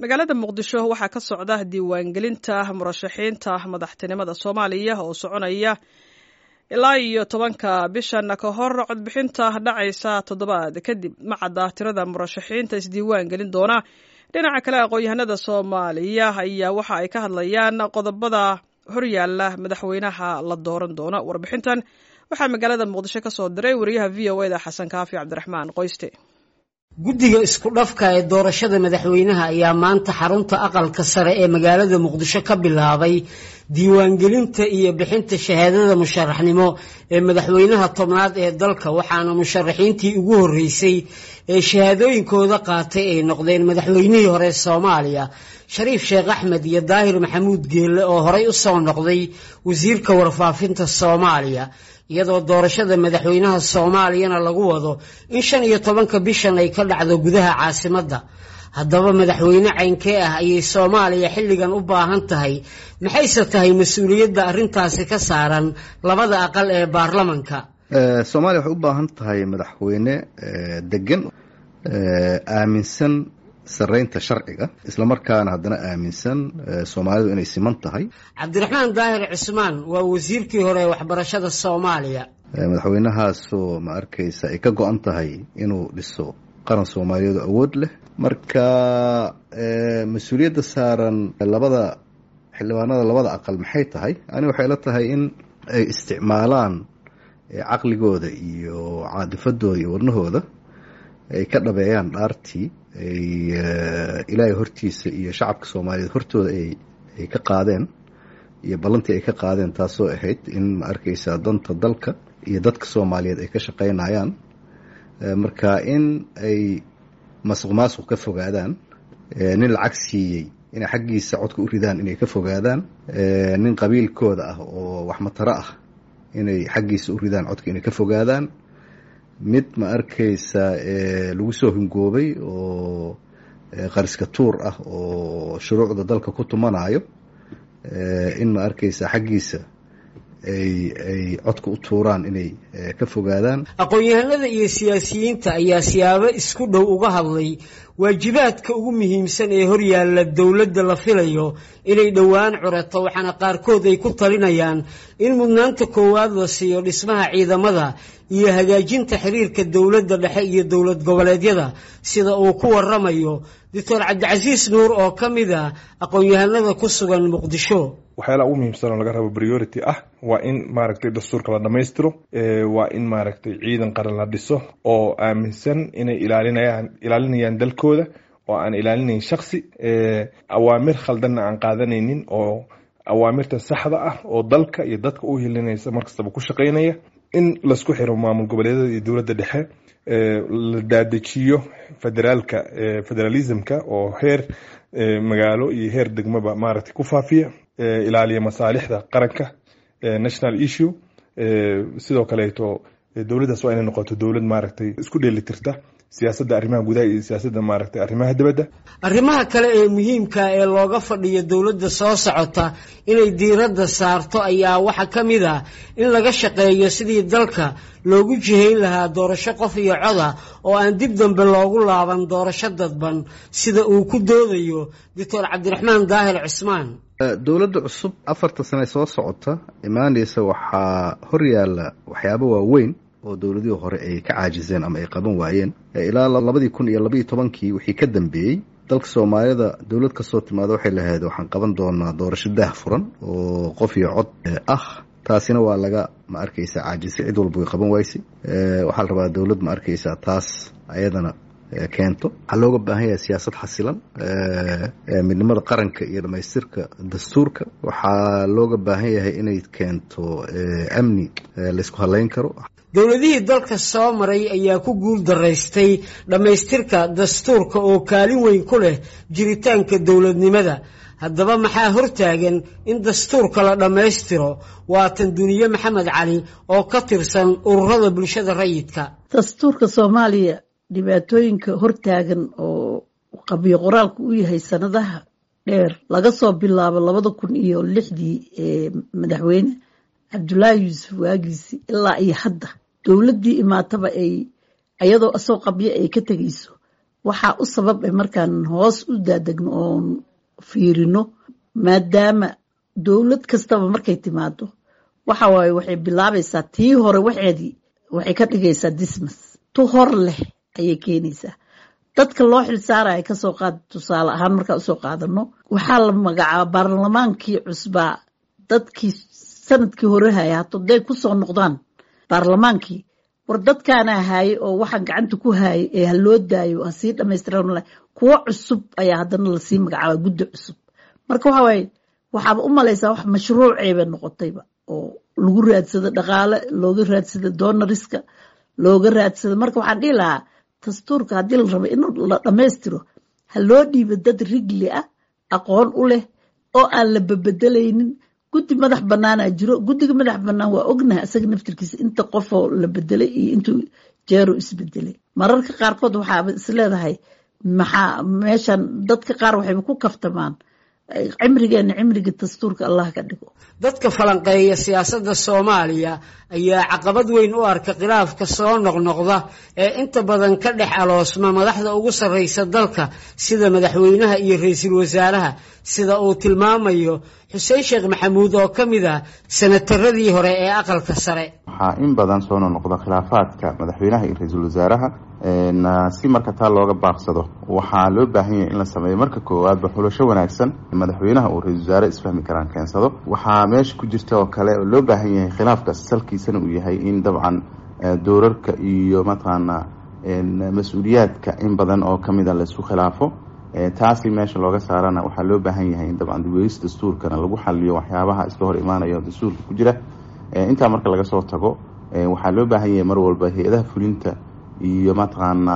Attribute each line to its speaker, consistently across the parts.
Speaker 1: Magaalada Muqdisho waxaa ka socda diiwaangelinta murashaxiinta madaxtinimada Soomaaliya oo soconaya ilaa iyo 10-ka bishan, ka hor codbixinta dhacaysa toddobaad kadib. Ma cadda tirada murashaxiinta isdiiwaan gelin doona. Dhinaca kale, aqoon-yahanada Soomaaliya ayaa waxa ay ka hadlayaan qodobada horyaala madaxweynaha la dooran doono. Warbixintan waxaa magaalada Muqdisho ka soo diray wariyaha VOA da, Xasan Kaafi Cabdiraxmaan Qoyste.
Speaker 2: Guddiga isku dhafka ee doorashada madaxweynaha ayaa maanta xarunta Aqalka Sare ee magaalada Muqdisho ka bilaabay diiwaangelinta iyo bixinta shahaadada musharaxnimo ee madaxweynaha 10aad ee dalka, waxaana musharaxiintii ugu horreysay ee shahaadooyinkooda qaatay ay noqdeen madaxweynihii hore Soomaaliya Shariif Sheekh Axmed iyo Daahir Maxamuud Geelle oo horey u soo noqday wasiirka warfaafinta Soomaaliya, iyadoo doorashada madaxweynaha Soomaaliyana lagu wado in 15-ka bishan ay ka dhacdo gudaha caasimadda. Haddaba, madaxweyne caynkee ah ayay Soomaaliya xilligan u baahan tahay? Maxayse tahay mas-uuliyadda arrintaasi ka saaran labada aqal ee baarlamanka?
Speaker 3: Soomaaliya waxay u baahan tahay madaxweyne degan, aaminsan sareynta sharciga, islamarkaana haddana aaminsan Soomaalidu inay siman tahay.
Speaker 2: Cabdiraxmaan Daahir Cismaan waa wasiirkii hore ee waxbarashada Soomaaliya.
Speaker 3: Madaxweynahaasoo, ma arkaysa, ay ka go-an tahay inuu dhiso qaran Soomaaliyeed oo awood leh. Marka mas-uuliyadda saaran labada xildhibaanada labada aqal maxay tahay? Ani waxay la tahay in ay isticmaalaan caqligooda iyo caadifadooda iyo wadnahooda, ay ka dhabeeyaan dhaartii ay Ilaahay hortiisa iyo shacabka Soomaaliyeed hortooda ay ka qaadeen iyo ballantii ay ka qaadeen, taasoo ahayd in, ma arkaysaa, danta dalka iyo dadka Soomaaliyeed ay ka shaqaynayaan. Marka in ay masuq maasuq ka fogaadaan, nin lacag siiyey inay xaggiisa codka u ridaan inay ka fogaadaan, nin qabiilkooda ah oo waxmataro ah inay xaggiisa u ridaan codka inay ka fogaadaan, mid, ma arkaysa, lagu soo hungoobay oo qariska tuur ah oo shuruucda dalka ku tumanayo in, ma arkaysa, xaggiisa ay codka u tuuraan inay ka fogaadaan.
Speaker 2: Aqoon-yahanada iyo siyaasiyiinta ayaa siyaabo isku dhow uga hadlay waajibaadka ugu muhiimsan ee horyaalla dowladda la filayo inay dhowaan curato, waxaana qaarkood ay ku talinayaan in mudnaanta koowaad la siiyo dhismaha ciidamada iyo hagaajinta xiriirka dowladda dhexe iyo dowlad goboleedyada, sida uu ku waramayo Doctor Cabdicasiis Nuur oo ka mid ah aqoon-yahanada ku sugan Muqdisho.
Speaker 4: Waxyaalaha ugu muhiimsan oo laga rabo priority ah waa in, maaragtay, dastuurka la dhamaystiro, waa in, maaragtay, ciidan qaran la dhiso oo aaminsan inay ilaalinayaan dalkooda oo aan ilaalinayn shaksi, awaamir khaldanna aan qaadanaynin, oo awaamirta saxda ah oo dalka iyo dadka u hilinaysa markastaba ku shaqaynaya. In laisku xiro maamul goboleedyada iyo dowladda dhexe, la daadejiyo federaalka, federalismka oo heer magaalo iyo heer degmaba, maaragtay, ku faafiya, ilaaliya masaalixda qaranka, national issue. Sidoo kaleeto dowladdaas waa inay noqoto dowlad, maaragtay, isku dheelitirta siyaasadda arrimaha gudaha iyo siyaasadda, maaragtay, arrimaha dibadda.
Speaker 2: Arrimaha kale ee muhiimka ee looga fadhiyo dowladda soo socota inay diiradda saarto ayaa waxaa ka mid ah in laga shaqeeyo sidii dalka loogu jihayn lahaa doorasho qof iyo coda oo aan dib dambe loogu laaban doorasho dadban, sida uu ku doodayo Doctor Cabdiraxmaan Daahir Cismaan.
Speaker 3: Dowladda cusub 4-ta sane soo socota imaanaysa waxaa hor yaalla waxyaabo waaweyn oo dowladihii hore ay ka caajiseen ama ay qaban waayeen. Ilaa 2012-kii wixii ka dambeeyey, dalka Soomaalida dowlad kasoo timaada waxay lahayd: "Waxaan qaban doonaa doorasho daah furan oo qof iyo cod ah." Taasina waa laga, ma arkaysa, caajisay, cid walba way qaban waysay. Waxaa la rabaa dowlad, ma arkaysaa, taas ayadana keento. Waxaa looga baahan yahay siyaasad xasilan, midnimada qaranka iyo dhamaystirka dastuurka. Waxaa looga baahan yahay inay keento amni laysku haleyn karo.
Speaker 2: Dowladihii dalka soo maray ayaa ku guul daraystay dhammaystirka dastuurka oo kaalin weyn ku leh jiritaanka dowladnimada. Haddaba, maxaa hortaagan in dastuurka la dhammaystiro? Waa tan Duniye Maxamed Cali oo ka tirsan ururada bulshada rayidka.
Speaker 5: Dastuurka Soomaaliya dhibaatooyinka hortaagan oo qabyo qoraalku u yahay sanadaha dheer, laga soo bilaabo 2006-dii ee madaxweyne Cabdulaahi Yuusuf waagiisi ilaa iyo hadda, dowladdii imaataba ay ayadoo asoo qabyo ay ka tegayso. Waxaa u sabab eh markaan hoos u daadegno oon fiirino, maadaama dowlad kastaba markay timaado waxa waaye waxay bilaabaysaa tii hore waxeedii waxay ka dhigaysaa dismas, tu hor leh ayay keenaysaa. Dadka loo xilsaaraya kasoo qaad, tusaale ahaan markaa usoo qaadano, waxaa la magacaaba baarlamaankii cusbaa dadkii sanadkii hore haya haday kusoo noqdaan baarlamaankii, war dadkaana haayay oo waxaan gacanta ku haayay ee ha loo daayo ha sii dhamaystiran, kuwo cusub ayaa haddana lasii magacaaba guddi cusub. Marka waxa waaye waxaaba u malaysaa wax mashruuceeba noqotayba oo lagu raadsado dhaqaale, looga raadsado donoriska, looga raadsado. Marka waxaan dhihi lahaa dastuurka haddii la rabo in la dhammaystiro ha loo dhiibo dad rigli ah, aqoon u leh oo aan la babedelaynin. Guddi madax banaanaa jiro, guddiga madax banaan waa ognahay isaga naftirkiisa inta qofoo la bedelay iyo intuu jeero isbedelay. Mararka qaarkood waxaaba isleedahay maxaa meeshan dadka qaar waxayba ku kaftamaan cimrigeena cimriga dastuurka Allah ka dhigo.
Speaker 2: Dadka falanqeeya siyaasadda Soomaaliya ayaa caqabad weyn u arka khilaafka soo noqnoqda ee inta badan ka dhex aloosma madaxda ugu sarreysa dalka sida madaxweynaha iyo ra'iisul wasaaraha, sida uu tilmaamayo Xuseen Sheekh Maxamuud oo ka mid ah sanataradii hore ee aqalka sare.
Speaker 6: Waxaa in badan soo noqnoqda khilaafaadka madaxweynaha iyo ra'iisul wasaaraha. Si marka taa looga baaqsado waxaa loo baahan yahay in la sameeyo marka koowaadba xulasho wanaagsan, madaxweynaha uu ra-iisul wasaare isfahmi karaan keensado. Waxaa meesha ku jirta oo kale oo loo baahan yahay khilaafkaas salkiisana uu yahay in dabcan doorarka iyo mataqaana mas-uuliyaadka in badan oo kamid a laisku khilaafo. Taasi meesha looga saarana waxaa loo baahan yahay in dabcan dib-u-eegis dastuurkana lagu xaliyo waxyaabaha iska hor imaanaya oo dastuurka ku jira. Intaa marka laga soo tago waxaa loo baahan yahay mar walba hay-adaha fulinta iyo mataqaana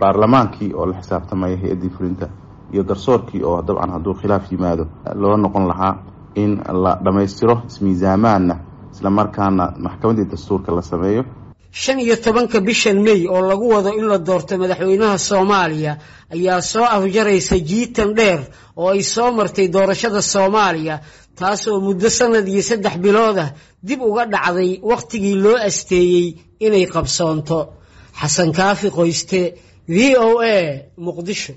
Speaker 6: baarlamaankii oo la xisaabtamaya hay-addii fulinta iyo garsoorkii oo dabcan hadduu khilaaf yimaado loo noqon lahaa in la dhammaystiro ismiisaamaanna, islamarkaana maxkamaddii dastuurka la sameeyo.
Speaker 2: 15-ka bishan May oo lagu wado in la doorto madaxweynaha Soomaaliya ayaa soo afjaraysa jiitan dheer oo ay soo martay doorashada Soomaaliya, taasoo muddo sanad iyo 3 bilood ah dib uga dhacday wakhtigii loo asteeyey inay qabsoonto. Xasan Kaafi Qoyste, VOA, Muqdisho.